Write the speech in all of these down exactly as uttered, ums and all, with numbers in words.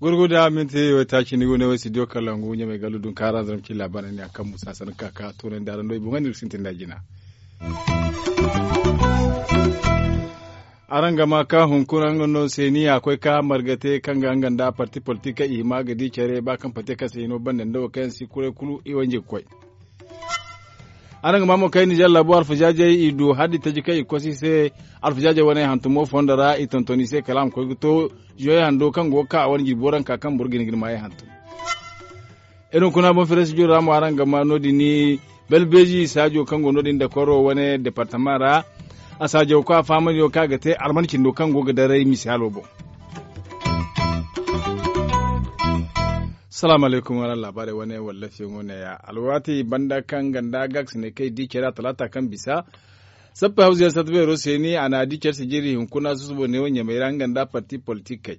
Gurguda minti waytaaci ni go ne wo studio kalangu ɲamay gallu dun kaara zaram ci labaara ne a kaŋ musa sanni ka ka toonandi araŋ do i boŋ ga ni ga sintin da jina. Araŋ ga ma ka hunkuna nga no seeni a koy ka marga te kaŋ ga nga nda parti politik kaŋ i hima ga di care ba kaŋ parti kaŋ se hino banda nda wo kaŋ yaŋ si kuray kulu i wanji ga koy. Araŋ ga ma mo kay ninzeer laabo alfazaazey i du haddi taji kaŋ i kosi i se. Alfazaazey wane hantumo fondo ra i tonton i se kala a ma koy ga to zoyey hando kaŋ go ga ka a wane jirbi waranka kaŋ boro ga hin ga ni maayey hantum. Iri hunkuna boŋ fereesi jiro ra mo araŋ ga ma no- din ni balbeezi saajo kaŋ go no- din dakoro wane departama ra. A saajo ko a fahamandi no kaŋ a ga te alman cindo kaŋ go ga daray misaalo boŋ. Salaamu alaykum wala laabaarey wane wallafiyaŋo neeya alwaati banda kaŋ ganda gaakasinay kaŋ i di care a talaata kaŋ bisa. Sappey hawzey satta beero seeni a na a di care sijiri hunkuna susubo neewo ɲamey ra nga nda parti politikey.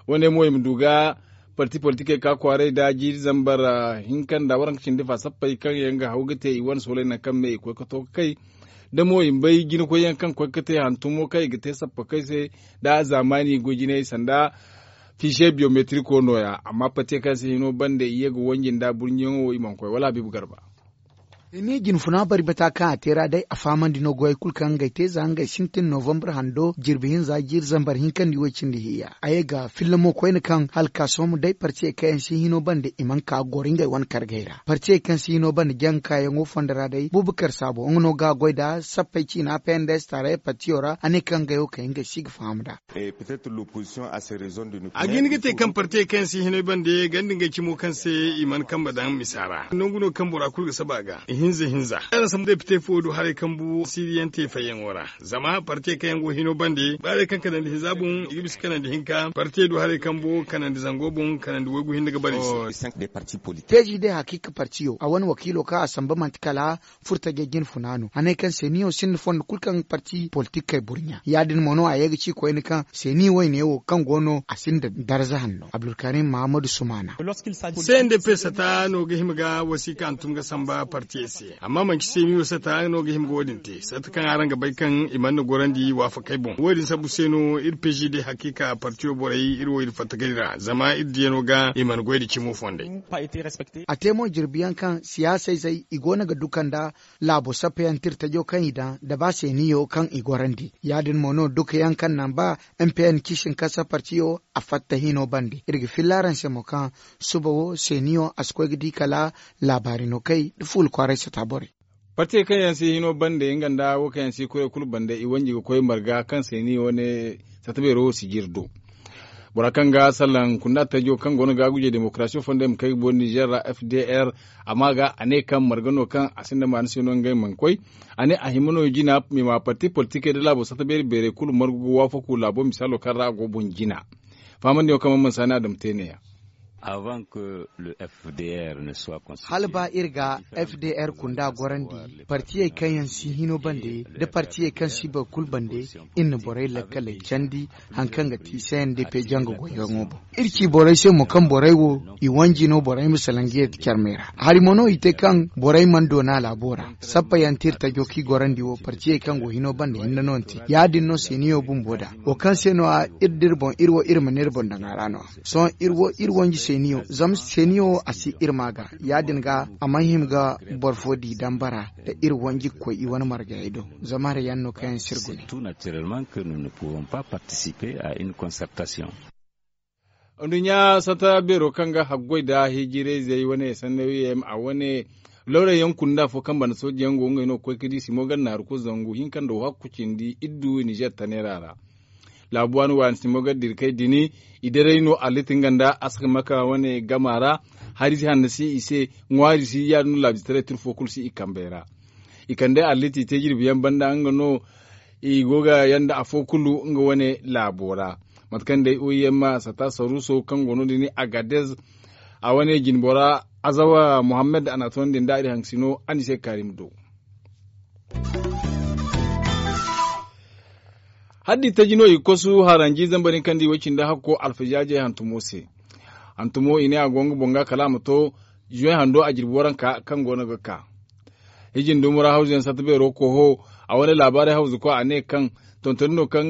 Wane mo i ma du ga parti politikey ka kwaaray nda jiiri zambar hinka nda waranka cindi fa sappey kaŋ yaŋ ga haw ga te i wane soolay nangu kaŋ me i koy ga to ga kay. Da mo i ma bay jinakoyyaŋ kaŋ koy ga te hantumo kaŋ i ga te sappakey se nda zaamaani goy jinay sanda fiise biyometiriko nooya amma parti kaŋ se hino banda i ye ga wanji nda burɲiyaŋo wo i mana koy wala habiibu garba. Ni jine funa bari bata kaŋ a te ra day a fahamandi no goyey kulu kaŋ ngey te za ngey sintin novambar hando jirbi hinza jiiri zambar hinkandi way cindi hiya a ye ga filla mo koyne kaŋ hala ka sohõ day partiyey kaŋ yaŋ si hino banda i mana ka ga goro ngey wane kargey ra partiyey kaŋ si hino banda janga kaayaŋo fondo ra day bubakar saabo nga no ga a goy nd'a sappey ciina pnds taarayey partiyo ra a ne kaŋ ngey wo kay ngey si ga faham nd'a. A ga hin ga te kaŋ partiyey kaŋ yaŋ si hinay bande ganda ngey cimo kaŋ se i mana kambe daŋ misa ra nangu no kaŋ bora kulu ga saba a ga ihinza hinza araŋ sambu depite fo du haray kambu siriyaŋ te fayyaŋo ra. Zama partiyey kaŋ yaŋ go hino bande ba day kaŋ kanandi hinza boŋ i ga bisa kanandi hinka partiyey du haray kambu kanandi zango boŋ kanandi waygu hinne ga bare i se. Teezi day hakiika partiyo a wane wakiilo kaŋ a samba manti kala furtajey jine funa no a ne kaŋ seeniyo sinda fondo kulu kaŋ parti politikey burɲa ya- din mo no a ye ga ci koyne kaŋ seeni wayne wo kaŋ go no a sinda darza hanno abdulkarim mahamadu sumaana. Sendepes sata no ga hima ga wasiika hantum ga samba partiyey se amma manci seeniyo sata no ga hima ga wo- din te sata kaŋ araŋ ga bay kaŋ i mana ni gorandi waafakey boŋ wo- din sambu se no iri peezi day hakiika partiyo borey iri wo iri fatta gari ra zama iri diyano ga i mana goy nda cimo fondey. A te mo jirbi yaŋ kaŋ siyaasa izey i go no ga duka nda laabo sappa yaŋ tirtajo kaŋ i daŋ nda ba seeniyo kaŋ i gorandi ya- din mo no duka yaŋ kaŋ naŋ ba mpn ciisin kasa partiyo a fatta hino bande iri ga filla araŋ se mo kaŋ suba wo seeniyo a si koy ga di kala laabaari no kay nda fuula kwaaray sata borey. Partiyey kaŋ yaŋ si hino bande nga nda wo kaŋ yaŋ si kuray kulu bande i wanji ga koy marga kaŋ seeniyo wane sata beero wo si jiri do. Bora kaŋ ga salaŋ kunda tajo kaŋ go no ga guje demokarasiyo fondo i ma kay ga boori nizer ra fdr a ma ga a ne kaŋ marga no kaŋ a sinda maana se no ngey mana koy. A ne a hima no jina i ma parti politikey nda laabo sata beeri beerey kulu margu ga waafaku laabo misaalo kaŋ ra a go boŋ jina. Fahamandiyaŋo kaŋ mana mana saani a dama te ne- ya. Hala ba iri ga fdr kunda gorandi partiyey kaŋ yaŋ si hino bande nda partiyey kaŋ si boro kulu bande iri na borey lakkaley candi. Hari kaŋ ga ti cndp janga goyyaŋo boŋ iri ci borey se mo kaŋ borey wo i wanji no borey ma salaŋ ga yeeti carmey ra hari mo no i te kaŋ borey mana doona laabo ra. Sappa yaŋ te iri tajo kaŋ i gorandi wo partiyey kaŋ go hino banda hinne no ni te ya- din no seeniyo bumbo nd'a wo kaŋ se no- ya iri da iri boŋ iri wo iri ma ne iri boŋ daŋ a ra no- ya sohõ iri wo iri wanji seeniyo zama seeniyo wo a si iri ma ga ya- din ga a mana hima ga boro fo di dambara nda iri wanji ga koy i wane margayey do. Zama hari yaŋ no kaŋ yaŋ si iri gune. Nduɲɲa sata beero kaŋ ga haggoy nda hijirayzey wane sannawiyaŋ a wane lawray yaŋ kunda afo kaŋ banda sooji yaŋ go ngey no ga koy ga di simo ga naaru kulu zangu hinka nda wo hakku cindi iddu nizer taneera ra. Laabu waani waani simo ga dira kay dini i daray no alliti nga nda asakamaka wane gama ra. Hari si hanna si i se ŋwaari si ya- din no laabu taray tira fo kulu si i kambey ra. I kande alliti i te jirbi yaŋ banda nga no i go ga yanda afo kulu nga wane laabo ra. Mate kaŋ day oim sata saruuso kaŋ go no- din agadez a wane jinbora azawa muhammad a na a toonandi nda iri haŋ sino a na i se ga kaari ma du. Haddi taji no i ga kosu haranji zambar hinka nda i way cindi hakko alfajaajey hantumo se. Hantumo i ne a go nga boŋ ga kala a ma to. Juwen hando a jirbi waranka kaŋ go no ga ka. Hijin dumura hawzuyaŋ satta beero koho a wane laabaarey hawzuko a ne kaŋ tontoni no kaŋ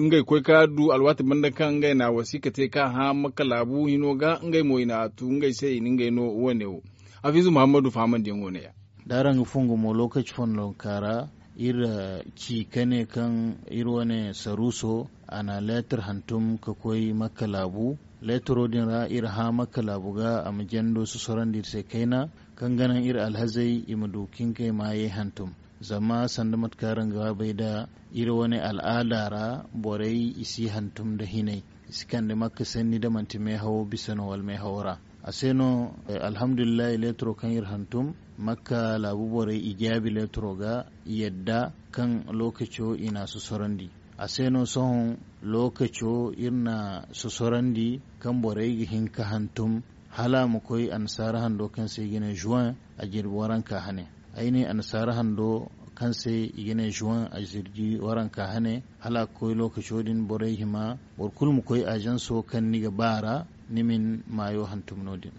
ngey koy ka du alwaati banda kaŋ ngey na wasiika te ka hã makka laabu hino ga ngey mo i na a tu ngey se i na ngey no wane wo. Hafiizu muhammadu fahamandiyaŋo ne ya. Da araŋ ga fongu mo lookaci fondonka ra iri ci ka ne kaŋ iri wane saruuso a na leetar hantum ka koy makka laabu. Leetaro din ra iri hã makka laabu ga a ma jando sosorandi iri se kayna kaŋ ga naŋ iri alhazey i ma du ka ngey maayey hantum. Zama sanda mate kaŋ araŋ ga bay nda iri wane al'aada ra borey i si hantum nda hinay i si kande makka sanni nda manti meehawo bisa no wala meehawo ra. A se no alhamdulillahi leetaro kaŋ iri hantum makka laabu borey i jaabi leetaro ga i yadda kaŋ lookaco i na a sosorandi. A se no sohõ lookaco iri na sosorandi kaŋ borey ga hin ka hantum hala a ma koy annasaara hando kaŋ se i ga ne juwen a jirbi waranka hane. Ay ne annasaara hando kaŋ se i ga ne juwen a jirbi waranka hane hala a ga koy lookaco din borey hima boro kulu ma koy ajanso kaŋ ni ga ba ra ni ma ni maayo hantum no- din.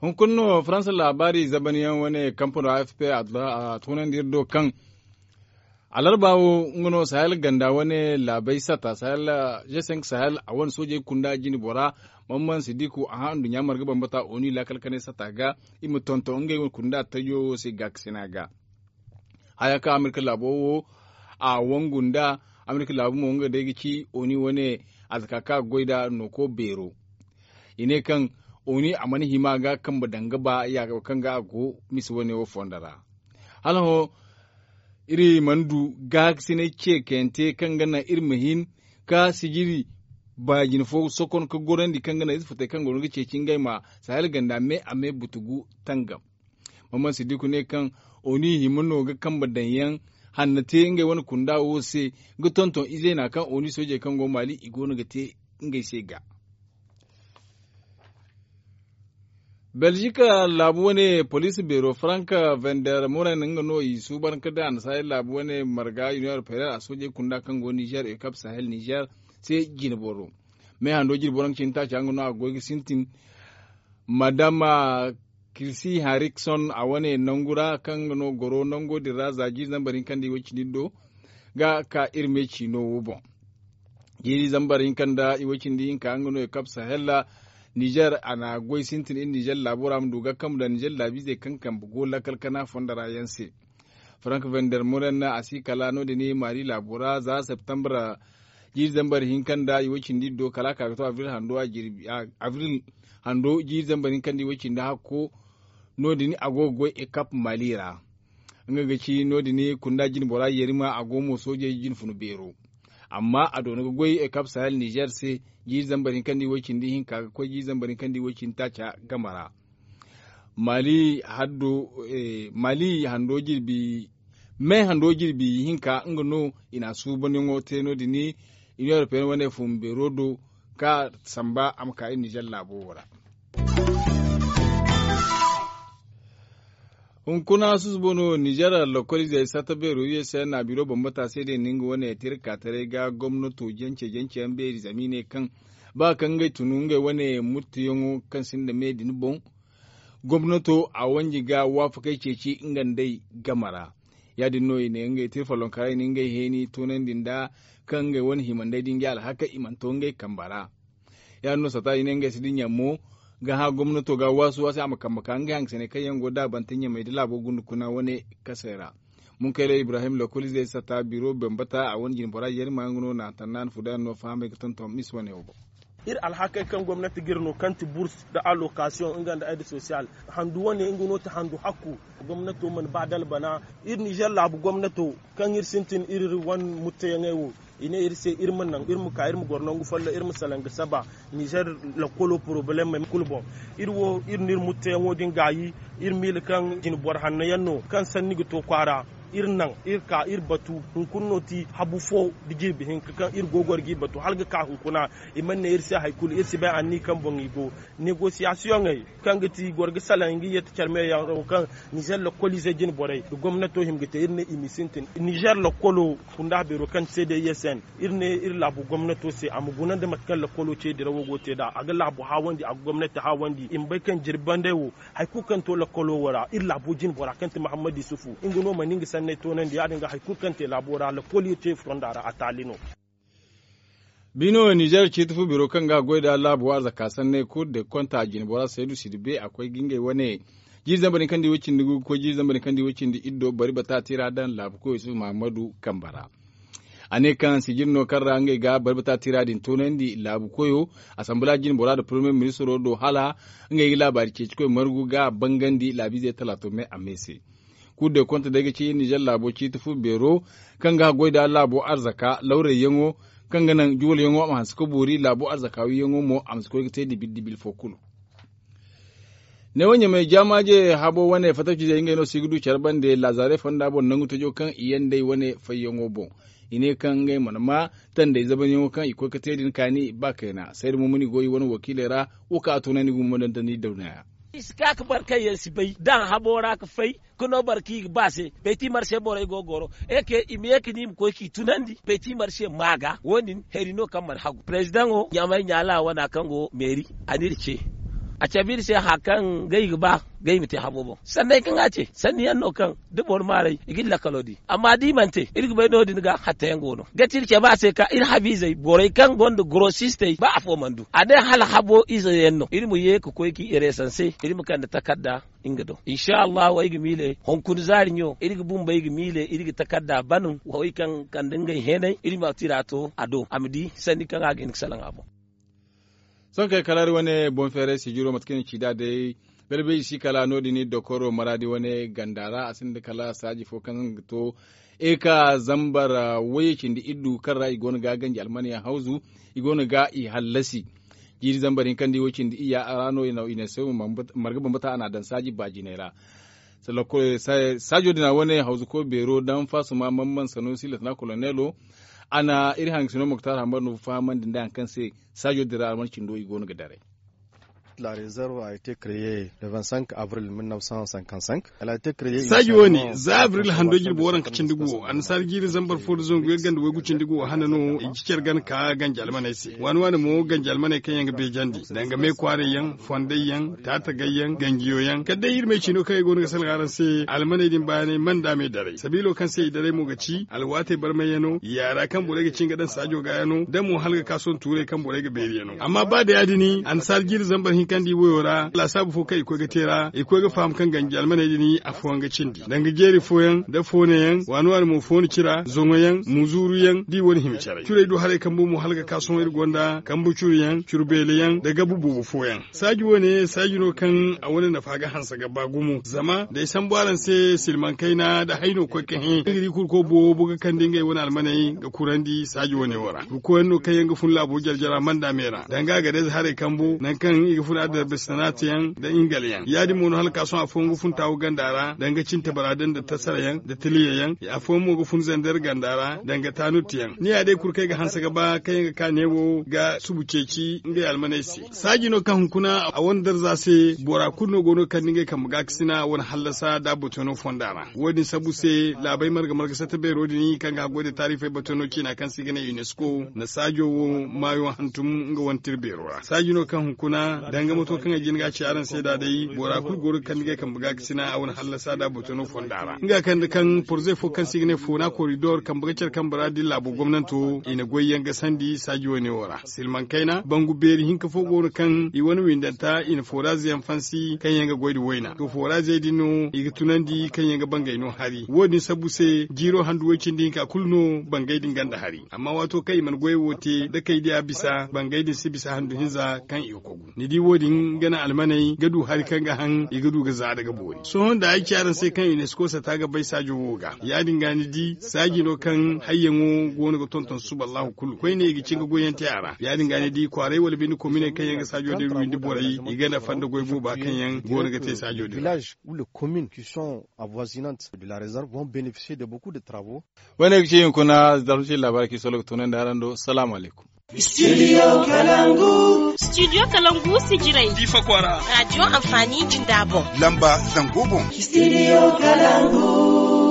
Hunkuna no faransa laabaari zabanyaŋ wane kampano a f p a tunandi iri do kaŋ alarba wo nga no sahel ganda wane laabey sata sahel g cinq sahel a wane soojey kunda jine bora. Mamman sidiku a hã nduɲɲa marga bambata oni laakal kanay sata ga i ma tonton ngey wane kunda tajo wo se gaakasina ga. Haya kaŋ amerika laabo wo a wangu nda amerika laabu mo nga day ga ci oni wane a zaka kaŋ a ga goy nd'a nooko beero. I ne kaŋ oni a mana hima ga kambe daŋ ga ba yaaga kaŋ ga a go misa wane wo fondo ra. Hala hõ iri mana du gaakasinay ceekayante kaŋ ga naŋ iri ma hin ka sijiri baajine fo sokon ka gorandi kaŋ ga naŋ ize futey kaŋ go no ga ceeci ngey ma sahel ganda me a me butugu tangam. Mamman sidiku ne kaŋ oni hima no ga kambe daŋ yaŋ hanna te ngey wane kunda wo se ga tonton izey na kaŋ oni soojey kaŋ go maali i go no ga te ngey se ga. Belgique laabu wane poliisi beero frank vender moren nga no i suubanka nda annasaari laabu wane marga union européenne a soojey kunda kaŋ go niger ekap sahel niger se jine boro. Me hando jine boro nga cine taaca nga no a goy ga sintin. Madama kirsi harikson a wane nangu ra kaŋ nga no goro nango din ra za jiiri zambar hinka nda iway cindi do ga ka iri me ciino wo boŋ. Jiiri zambar hinka nda iway cindi hinka nga no i kab sahel nizer a na goy sintin iri nizer laabo ra ma du ga kambu nda nizer laabiizey kaŋ kambe go lakkal kana fondo ra yaŋ se. Frank vender moren a si kala no- din mali laabo ra za septembre jiiri zambar hinka nda iway cindi do kala a ka ga to avril hando jiiri zambar hinka nda iway cindi hakko. No- din a go ga goy ekap mali ra. Nga ga ci no- din kunda jine bora yerima a go mo soojey jine funu beero. Amma a doona ga goy ekap sahel nizer se jiiri zambar hinka nda iway cindi hinka ga koy jiiri zambar hinka nda iway cindi taaca game ra. Mali hando mali hando jirbi me hando jirbi hinka nga no i na a suubanyaŋo te no- din. Union européenne wane fun beero do ka samba a ma ka iri nizer laabo wo ra. Hunkuna susubo no nizer lokoliizey satta beero u s n a biro bambata se day no nga wane tirka taray ga gomnato jance jance yaŋ beeri zama i ne kaŋ ba kaŋ ngey tunu ngey wane muttuyaŋo kaŋ sinda me din boŋ. Gomnato a wanji ga waafakey ceeci nga nd'ey game ra. Ya- din no i ne ngey te follonka ra i na ngey heeni toonandi nda kaŋ ngey wane hima nd'ey din ga alhakey i mana to ngey kambe ra. Ya- din no sata i ne ngey si dinya mo ga hã gomnato ga waasu a se a ma kambe ka ngey hangasaney kaŋ yaŋ go daabante ɲamey nda laabo gundukuna wane kasey ra. Munkayley ibrahim lokoliizey sata biro bambata a wane jine bora yerima nga no na tannaani fudayaŋ no fahamey ga tonton mis wane wo boŋ. Iri alhakey kaŋ gomnati ga iri no kaŋ ti burs nda alokasiyoŋ nga nda ed sosiyal handu wane nga no ti handu hakku. Gomnato mana ba da albana. Iri nizer laabu gomnato kaŋ iri sintin iri wane mutteyaŋey wo i ne iri se iri ma naŋ iri ma ka iri ma goro nangu folloŋ iri ma salaŋ ga saba nizer lakkolo porobalemmey kulu boŋ. Iri wo iri na iri mutteyaŋo din gaayi. Iri miila kaŋ jine boro hanno yaŋ no kaŋ sanni ga to kwaara. Iri naŋ iri ka iri batu hunkuna no ti habu fo da jirbi hinka kaŋ iri go goro g'i batu hala ga ka hunkuna. I mana ne iri se hari kulu iri si bay anniya kaŋ boŋ i go. Negosiyasiyoŋey kaŋ ga ti goro ga salaŋ i ga yette care meyaŋ kaŋ nizer lokoliize jine borey da gomnato hima ga te iri ne i ma sintin nizer lokolo kunda beero kaŋ ti se day yesen. Iri ne iri laabu gomnato se a ma guna nda mate kaŋ lokolo ce dirawo go te nd'a a ga laabu haawandi a ga gomnati haawandi i ma bay kaŋ jirbi banday wo. Hari kulu kaŋ to lokolo wo ra iri laabo jine bora kaŋ ti mahammad yusufu nga no mana nga sanney toonandi ya- din ga hari kulu kaŋ te laabo ra lokolo te fonda ra a taali no. Bino nizer ciiti fu biro kaŋ ga goy nda laabu arzaka sanney kulu de konta jine bora saydu sidi be a koy ga ngey wane jiiri zambar din kaŋ di way cindi gu ga koy jiiri zambar din kaŋ di way cindi iddo bari bata tira daŋ laabu koy yusufu mahammadu kamba ra. A ne kaŋ sijir no kaŋ ra ngey ga bari bata tira din toonandi laabu koyo, asambala jine bora nda poromiyar ministiro do hala ngey ga laabaari ceeci koy margu ga bangandi laabiizey talaato me a me se. Kulu day konta day ga ci nizer laabo ciiti fu beero kaŋ ga goy nda laabo arzaka lawrayyaŋo kaŋ ga naŋ juwalyaŋo a ma hanse ga boori laabo arzaka wiiyaŋo mo a ma si koy ga te dibil dibil fo kulu. Neewo ɲamay jaamaaje habo wane fattaci zey ngey no si ga du care bande laazaaray fonda boŋ nangu tajo kaŋ i yaŋ day wane fayyaŋo boŋ. I ne kaŋ ngey mana ma tandey zabanyaŋo kaŋ i koy ga te din kaani ba kayna sayda mo mana i go i wane wakiiley ra. Wo kaŋ a tunandi gumo daŋ tandi daw neeya. I si ka ga boro kaŋ yaŋ si bay daŋ habo ra ga fay ga no boro kaŋ i ga ba se beti marse borey go ga goro. Eke i ma ye ga ni ma koy k'i tunandi beti marse ma ga wo- din hari no kaŋ mana hagu perezidaŋo ɲamay ɲaala wana kaŋ go meeri a n'iri ce. A cabe iri se hari kaŋ ga i ga ba ga i ma te habo boŋ sanni yaŋ kaŋ a ce sanni yaŋ no kaŋ da boro maaray i ga iri lakkalo di amma da i mana te iri ga bay no- din ga hatta yaŋ go no ga ti iri cabe a se ka iri habiizey borey kaŋ gonda gorosistey ba afo mana du a ne hala habo ize yaŋ no iri ma ye ga koy ga i reesanse iri ma kande takarda. Nga do insa allahu ay ga miile hunkuna zaari ɲo iri ga bumbey ga miile iri ga takarda ban wo ay kaŋ kande ngey heenay iri ma tira to a do a ma di sanni kaŋ a ga hin ga salaŋ a boŋ. Sohõ kay kala iri wane boŋ feeray sijiro mate kaŋ i na ci nd'a day. Balbeeji si kala no- din dokoro maraadi wane ganda ra a sinda kala saaji fo kaŋ ga to eka zambar wayye cindi iddu kaŋ ra i go no ga ganji almaney hawzu i go no ga i hallasi. Jiiri zambar hinka nda i way cindi iyya a ra no i na se marga bambata a n'a daŋ saaji baajinay ra. Saajo din a wane hawzuko beero daŋ faasuma mamman sanusi latana koloneelo. A na iri hangasino muktar hambar no fahamandi nda hari kaŋ se saajo din ra alman cindo i go no ga daray. Saaji wo- ne za abril hando jirbi waranka cindi gu wo annasaara jiiri zambar fo nda zangu yaŋ ganda waygu cindi gu wo hane no i ga ci care gana ka ganji almaney se waani waani mo ganji almaney kaŋ yaŋ ga beejandi danga me kwaaray yaŋ fonday yaŋ taatagay yaŋ ganjiyo yaŋ kala day iri me ciino kaŋ ay go no ga salga araŋ se almaney din bayanay mana nda me daray sabiilo kaŋ se i daray mo ga ci alwaatey barmayyaŋo yaara kaŋ borey ga cin ga daŋ saajo ga yaŋo da mo hala ga ka sohõ tuurey kaŋ borey ga beeri yaŋo amma ba da ya- din annasaara jiiri zambar hinka nda i wayo ra laasaabu fo kaŋ i koy ga te ra i koy ga faham kaŋ ganji almaney din afooyaŋ ga cindi danga jeeri fooyaŋ da foonayaŋ waani waani mo foono cira zoŋoyaŋ muzuuruyaŋ da i wane hima caray curey du haray kambo mo hala ga ka sohõ iri gonda kambu curuyaŋ curu beelayaŋ da gabu boobo fooyaŋ. Saaji wo- ne saaji no kaŋ a wane nafa ga hanse ga ba gumo zama da ay sambu araŋ se silmaŋ kayna da hayno koy ka hẽ nga di kurko boobo ga kande ngey wane almaney ga kurandi saaji wo- ne wo ra kurkoyaŋ no kaŋ yaŋ ga fun laabo jare jara manda me ra danga a ga day za haray kambo nangu kaŋ i ga fun adarbisanaate yaŋ da ingale yaŋ ya- din mo no hala ka sohõ afooyaŋ ga fun taawu ganda ra danga cintabara da nda tasara yaŋ da tiliya yaŋ afooyaŋ mo ga fun zandar ganda ra danga taanut yaŋ ni ya day kulu kaŋ ay ga hanse ga ba kaŋ yaŋ ga ka neewo ga subu ceeci ngey almaney se saaji no kaŋ hunkuna a wane darza se bora kulu no go no ga kande ngey kambe gaakasina a wane hallasa da a botoyaŋo fonda ra wo- din sabu se laabey marga marga satta beero din kaŋ ga haggoy nda taarifey botoyaŋo ciina kaŋ se i ga ne unesco na saajo wo maayo hantum nga wane tira beero ra saaji no kaŋ hunkuna danga mato kaŋ ay jin ga a ci araŋ se nd'a day bora kulu go no ga kande ngey kambe gaakasina a wane hallasa da a botoyaŋo fonda ra nga kande kaŋ porzey fo kaŋ se i ga ne foona koridor kambe ga care kambe ra da iri laabo gomnanto i na goy yaŋ gasandi saaji wo- ne wo ra silmaŋ kayna bangu beeri hinka fo go no kaŋ i wane windanta i na fooraze yaŋ fansi kaŋ yaŋ ga goy nda wayna to foorazey din no i ga tunandi kaŋ yaŋ ga bangay no hari wo- din sabbu se jiiro handu way cindi hinka kulu no bangay din ganda hari amma waato kaŋ i mana goyey wo te da kay diya bisa bangay din si bisa handu hinza kaŋ i ga kogu ni di wo- Wo- din ga naŋ almaney ga du hari kaŋ ga haŋ i ga du ga za da ga boori sohõ nda ay ci araŋ se kaŋ unesco sata ga bay saajo wo ga ya- din ga ni di saaji no kaŋ hayyaŋo go no ga tonton suba allahu kulu koyne i ga cin ga goyyaŋ te a ra ya- din ga ni di kwaaray wala binde kominey kaŋ yaŋ ga saajo din windi borey i ga nafa nda goy booba kaŋ yaŋ go no ga te saajo din ra. Avoisinante de la réserve vont bénéficier de beaucoup de travaux. Wane ga ci hinkuna zarfu ci labaari kaŋ i solo ga tunandi araŋ do salaamu alaykum. Studio kalangu. Studio kalangu sijirai difa kwara radio amfani jinda boŋ. Lamba zango boŋ. Studio kalangu.